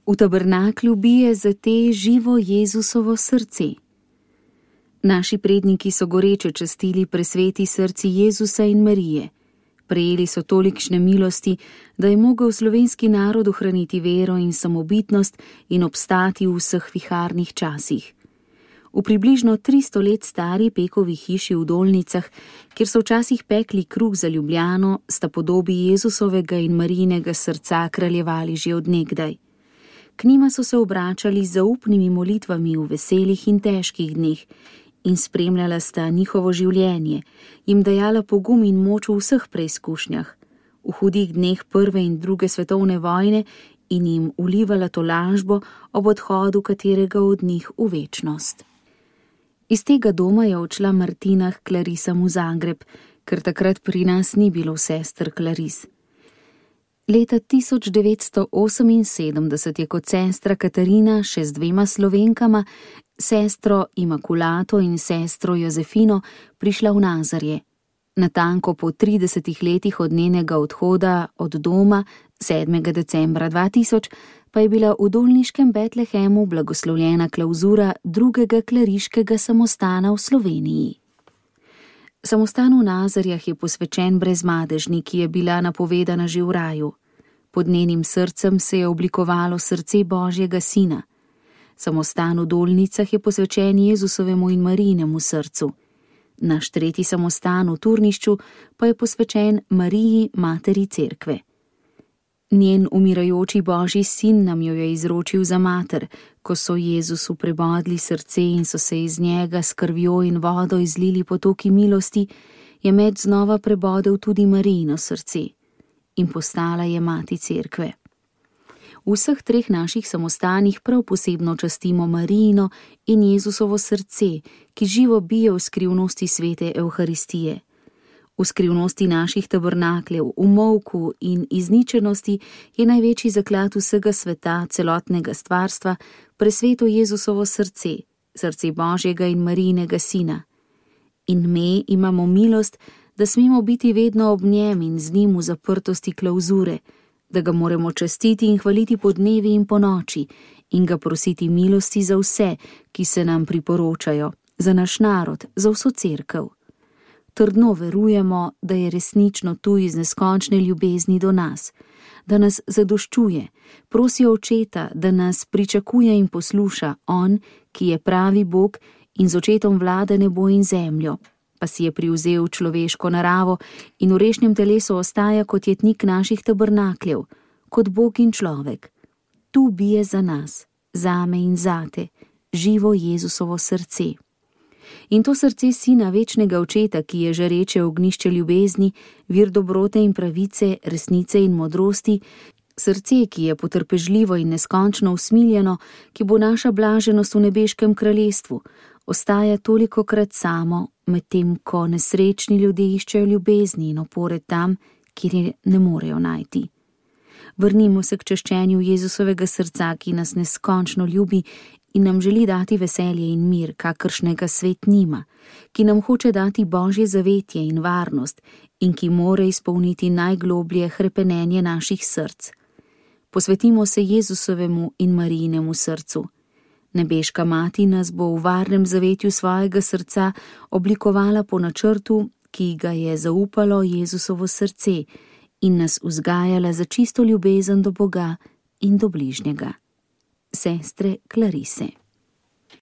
V tabernaklju bije za te živo Jezusovo srce. Naši predniki so goreče častili presveti srci Jezusa in Marije. Prejeli so tolikšne milosti, da je mogel slovenski narod ohraniti vero in samobitnost in obstati v vseh viharnih časih. V približno 300 let stari Pekovi hiši v Dolnicah, kjer so včasih pekli kruh za Ljubljano, sta podobi Jezusovega in Marijinega srca kraljevali že od nekdaj. K njima so se obračali z zaupnimi molitvami v veselih in težkih dneh in spremljala sta njihovo življenje, jim dajala pogum in moč v vseh preizkušnjah, v hudih dneh prve in druge svetovne vojne in jim vlivala tolažbo ob odhodu katerega od njih v večnost. Iz tega doma je odšla Martina k Klarisam v Zagreb, ker takrat pri nas ni bilo sester Klaris. Leta 1978 je kot sestra Katarina še z 2 Slovenkama, sestro Imakulato in sestro Jozefino, prišla v Nazarje. Natanko po 30 letih od njenega odhoda od doma, 7. decembra 2000, pa je bila v dolniškem Betlehemu blagoslovljena klavzura 2. kleriškega samostana v Sloveniji. Samostan v Nazarjah je posvečen Brezmadežni, ki je bila napovedana že v raju. Pod njenim srcem se je oblikovalo srce Božjega Sina. Samostan v Dolnicah je posvečen Jezusovemu in Marijinemu srcu. Naš 3. samostan v Turnišču pa je posvečen Mariji, materi cerkve. Njen umirajoči Božji sin nam jo je izročil za mater, ko so Jezusu prebodli srce in so se iz njega s krvjo in vodo izlili potoki milosti, je med znova prebodel tudi Marijino srce in postala je mati cerkve. V vseh 3 naših samostanih prav posebno častimo Marijino in Jezusovo srce, ki živo bije v skrivnosti svete Evharistije. V skrivnosti naših tabernakljev, v molku in izničenosti je največji zaklad vsega sveta, celotnega stvarstva, presveto Jezusovo srce, srce Božjega in Marijinega Sina. In me imamo milost, da smemo biti vedno ob njem in z njim v zaprtosti klavzure, da ga moremo častiti in hvaliti po dnevi in po noči in ga prositi milosti za vse, ki se nam priporočajo, za naš narod, za vso cerkev. Trdno verujemo, da je resnično tu iz neskončne ljubezni do nas, da nas zadoščuje, prosi Očeta, da nas pričakuje in posluša on, ki je pravi Bog in z Očetom vlada nebo in zemljo, pa si je privzel človeško naravo in v rešnjem telesu ostaja kot jetnik naših tabernakljev, kot Bog in človek. Tu bije za nas, zame in zate, živo Jezusovo srce. In to srce Sina večnega Očeta, ki je žareče ognjišče ljubezni, vir dobrote in pravice, resnice in modrosti, srce, ki je potrpežljivo in neskončno usmiljeno, ki bo naša blaženost v nebeškem kraljestvu, ostaja tolikokrat samo, medtem ko nesrečni ljudje iščejo ljubezni in opore tam, kjer je ne morejo najti. Vrnimo se k čaščenju Jezusovega srca, ki nas neskončno ljubi in nam želi dati veselje in mir, kakršnega svet nima, ki nam hoče dati Božje zavetje in varnost in ki more izpolniti najgloblje hrepenenje naših src. Posvetimo se Jezusovemu in Marijinemu srcu. Nebeška mati nas bo v varnem zavetju svojega srca oblikovala po načrtu, ki ga je zaupalo Jezusovo srce in nas vzgajala za čisto ljubezen do Boga in do bližnjega. Sestre Klarise.